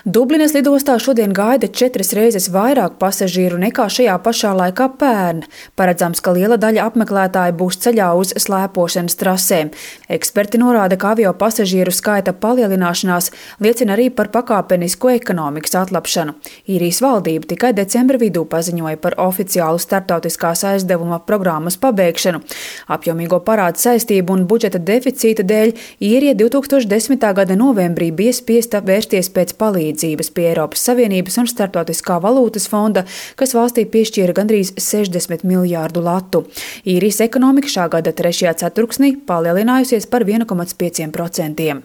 Dublinas lidostā šodien gaida 4 reizes vairāk pasažieru nekā šajā pašā laikā pērn. Paredzams, ka liela daļa apmeklētāju būs ceļā uz slēpošanas trasēm. Eksperti norāda, ka avio pasažieru skaita palielināšanās liecina arī par pakāpenisku ekonomikas atlapšanu. Īrijas valdība tikai decembra vidū paziņoja par oficiālu starptautiskās aizdevuma programmas pabeigšanu. Apjomīgo parādu saistību un budžeta deficīta dēļ Īrija 2010. gada novembrī bija spiesta vērsties pēc palīdzības pie Eiropas Savienības un Starptautiskā valūtas fonda, kas valstī piešķīra gandrīz 60 miljārdu latu. Īrijas ekonomika šā gada 3. ceturksnī palielinājusies par 1,5%.